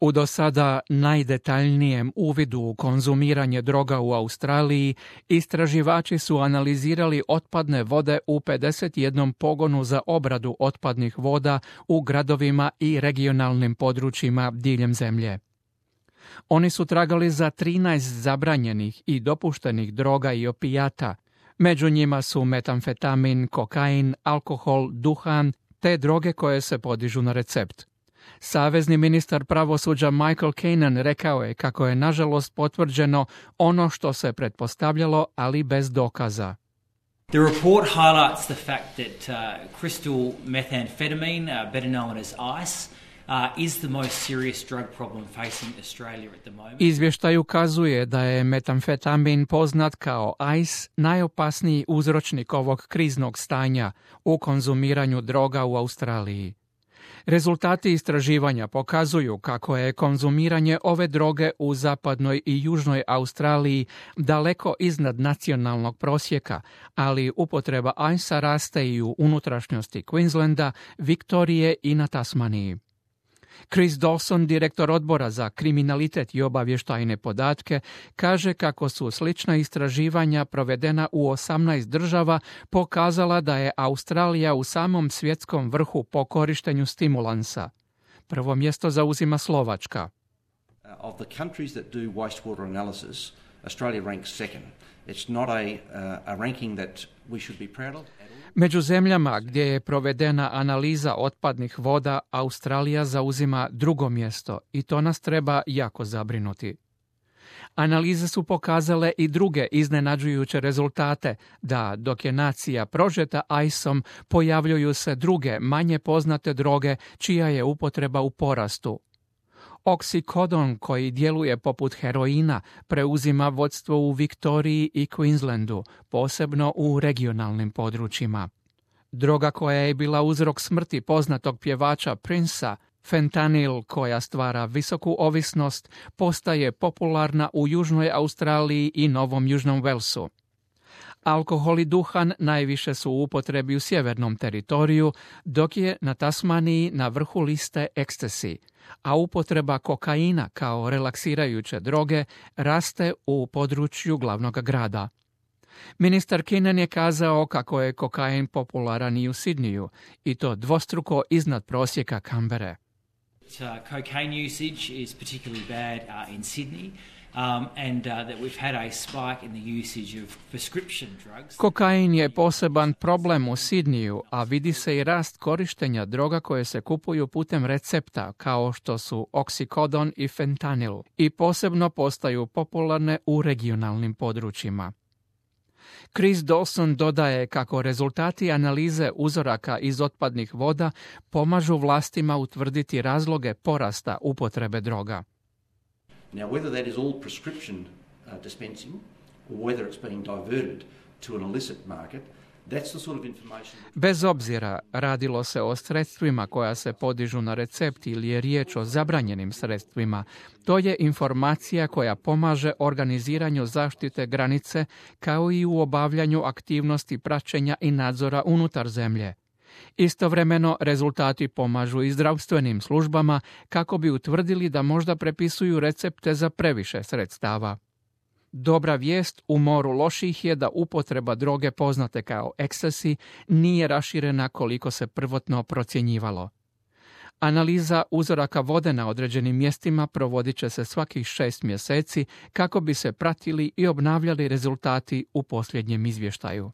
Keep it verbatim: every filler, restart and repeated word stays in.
U do sada najdetaljnijem uvidu u konzumiranje droga u Australiji, istraživači su analizirali otpadne vode u pedeset jednom pogonu za obradu otpadnih voda u gradovima i regionalnim područjima diljem zemlje. Oni su tragali za trinaest zabranjenih i dopuštenih droga i opijata. Među njima su metamfetamin, kokain, alkohol, duhan te droge koje se podižu na recept. Savezni ministar pravosuđa Michael Keenan rekao je kako je nažalost potvrđeno ono što se pretpostavljalo, ali bez dokaza. The report highlights the fact that uh, crystal methamphetamine, uh, better known as ice, uh, is the most serious drug problem facing Australia at the moment. Izvještaj ukazuje da je metamfetamin poznat kao ice najopasniji uzročnik ovog kriznog stanja u konzumiranju droga u Australiji. Rezultati istraživanja pokazuju kako je konzumiranje ove droge u zapadnoj i južnoj Australiji daleko iznad nacionalnog prosjeka, ali upotreba ajsa raste i u unutrašnjosti Queenslanda, Viktorije i na Tasmaniji. Chris Dawson, direktor odbora za kriminalitet i obavještajne podatke, kaže kako su slična istraživanja provedena u osamnaest država pokazala da je Australija u samom svjetskom vrhu po korištenju stimulansa. Prvo mjesto zauzima Slovačka. Of the countries that do wastewater analysis, Australia ranks second. It's not a, uh, a ranking that we should be proud of. Među zemljama gdje je provedena analiza otpadnih voda, Australija zauzima drugo mjesto i to nas treba jako zabrinuti. Analize su pokazale i druge iznenađujuće rezultate, da dok je nacija prožeta ajsom, pojavljuju se druge, manje poznate droge čija je upotreba u porastu. Oksikodon, koji djeluje poput heroina, preuzima vodstvo u Viktoriji i Queenslandu, posebno u regionalnim područjima. Droga koja je bila uzrok smrti poznatog pjevača Princea, fentanil, koja stvara visoku ovisnost, postaje popularna u Južnoj Australiji i Novom Južnom Walesu. Alkohol i duhan najviše su u upotrebi u sjevernom teritoriju, dok je na Tasmaniji na vrhu liste ecstasy, a upotreba kokaina kao relaksirajuće droge raste u području glavnog grada. Ministar Keenan je kazao kako je kokain popularan i u Sidniju, i to dvostruko iznad prosjeka Canberre. Uh, cocaine usage is particularly bad uh, in Sydney. Um, and uh, that we've had a spike in the usage of prescription drugs. Kokain je poseban problem u Sidniju, a vidi se i rast korištenja droga koje se kupuju putem recepta, kao što su oksikodon i fentanil, i posebno postaju popularne u regionalnim područjima. Chris Dawson dodaje kako rezultati analize uzoraka iz otpadnih voda pomažu vlastima utvrditi razloge porasta upotrebe droga. Now, whether that is all prescription uh, dispensing or whether it's being diverted to an illicit market, that's the sort of information... Bez obzira radilo se o sredstvima koja se podižu na recept ili je riječ o zabranjenim sredstvima, to je informacija koja pomaže organiziranju zaštite granice kao i u obavljanju aktivnosti praćenja i nadzora unutar zemlje. Istovremeno, rezultati pomažu i zdravstvenim službama kako bi utvrdili da možda prepisuju recepte za previše sredstava. Dobra vijest u moru loših je da upotreba droge poznate kao ecstasy nije raširena koliko se prvotno procjenjivalo. Analiza uzoraka vode na određenim mjestima provodit će se svakih šest mjeseci kako bi se pratili i obnavljali rezultati u posljednjem izvještaju.